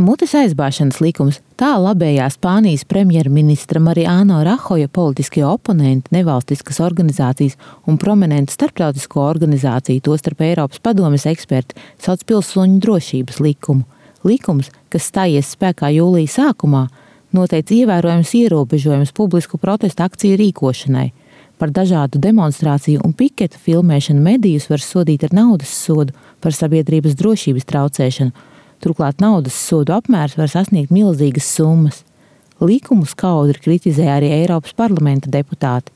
Mutes aizbāšanas likums, tā labējā Spānijas premjerministra Mariano Rajoja politiskie oponenti, nevalstiskas organizācijas un prominentu starptautisko organizāciju, tostarp Eiropas padomes eksperti, sauc pilsoņu drošības likumu. Likums, kas stājies spēkā jūlija sākumā, noteica ievērojams ierobežojums publisku protestu akciju rīkošanai. Par dažādu demonstrāciju un piketu filmēšanu medijus var sodīt ar naudas sodu par sabiedrības drošības traucēšanu. Turklāt naudas sodu apmērs var sasniegt milzīgas summas. Likumu skaudri kritizē arī Eiropas parlamenta deputāti.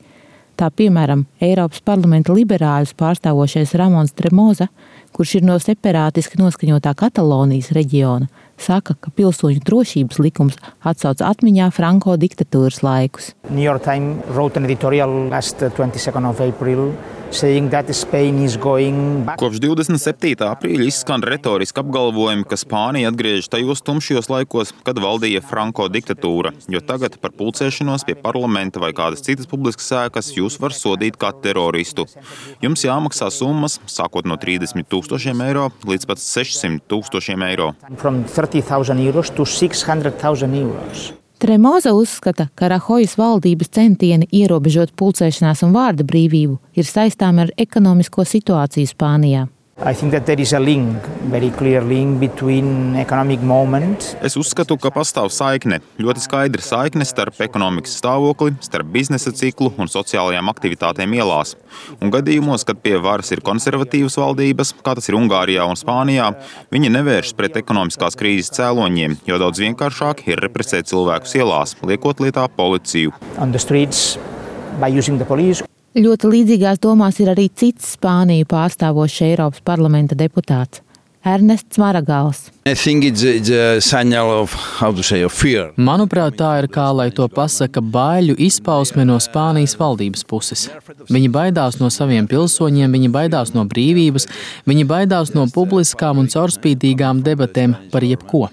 Tā piemēram, Eiropas parlamenta liberāļus pārstāvošais Ramons Tremosa, kurš ir no separātiski noskaņotā Katalonijas reģiona, saka, ka pilsoņu drošības likums atsauc atmiņā Franko diktatūras laikus. New York Times wrote an editorial last 22nd of April saying that Spain is going back. Kopš 27. aprīļa izskan retoriski apgalvojumi, ka Spānija atgriežas tajos tumšajos laikos, kad valdīja Franko diktatūra, jo tagad par pulcēšanos pie parlamenta vai kādas citas publiskas ēkas jūs var sodīt kā teroristu. Jums jāmaksā summas, sākot no 30,000 eiro līdz pat 600,000 eiro. From 30,000 euros to 600,000 euros. Tremosa uzskata, ka Rajojas valdības centieni ierobežot pulcēšanās un vārda brīvību ir saistām ar ekonomisko situāciju Spānijā. I think that there is a link, very clear link between economic moment. Es uzskatu, ka pastāv saikne, ļoti skaidra saikne starp ekonomikas stāvokli, starp biznesa ciklu un sociālajām aktivitātēm ielās. Un gadījumos, kad pie varas ir konservatīvas valdības, kā tas ir Ungārijā un Spānijā, viņi nevēršas pret ekonomiskās krīzes cēloņiem, jo daudz vienkāršāk ir represēt cilvēkus ielās, liekot lietā policiju. On the streets by using the police. Ļoti līdzīgās domās ir arī cits Spāniju pārstāvošs Eiropas parlamenta deputāts – Ernests Maragals. Manuprāt, tā ir kā, lai to pasaka, baiļu izpausme no Spānijas valdības puses. Viņi baidās no saviem pilsoņiem, viņi baidās no brīvības, viņi baidās no publiskām un caurspīdīgām debatēm par jebko.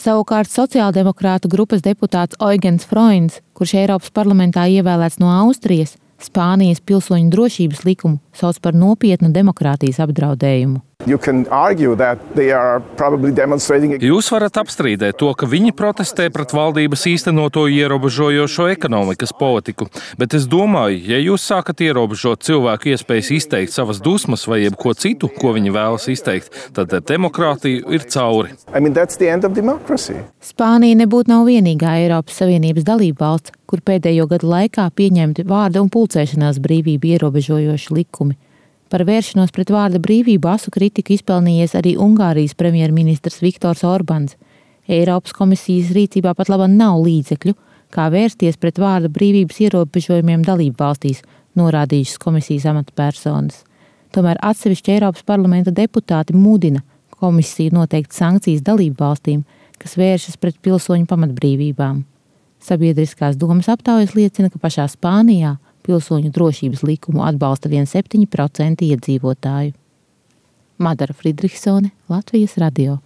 Savukārt sociāldemokrātu grupas deputāts Eugens Freunds, kurš Eiropas parlamentā ievēlēts no Austrijas, Spānijas pilsoņu drošības likumu sauc par nopietnu demokrātijas apdraudējumu. Jūs varat apstrīdēt to, ka viņi protestē pret valdības īstenoto ierobežojošo ekonomikas politiku, bet es domāju, ja jūs sākat ierobežot cilvēku iespējas izteikt savas dusmas vai jebko citu, ko viņi vēlas izteikt, tad demokrātija ir cauri. Spānija nebūtu nav vienīgā Eiropas Savienības dalībvalsts, kur pēdējo gadu laikā pieņemti vārda un pulcēšanās brīvību ierobežojoši likumi. Par vēršanos pret vārda brīvību asu kritiku izpelnījies arī Ungārijas premjerministrs Viktors Orbāns. Eiropas komisijas rīcībā pat labāk nav līdzekļu, kā vērsties pret vārda brīvības ierobežojumiem dalību valstīs, norādījušas komisijas amatpersonas. Tomēr atsevišķi Eiropas parlamenta deputāti mudina komisiju noteikt sankcijas dalību valstīm, kas vēršas pret pilsoņu pamatbrīvībām. Sabiedriskās domas aptaujas liecina, ka pašā Spānijā pilsoņu drošības likumu atbalsta 7% iedzīvotāju. Madara Fridriksone, Latvijas radio.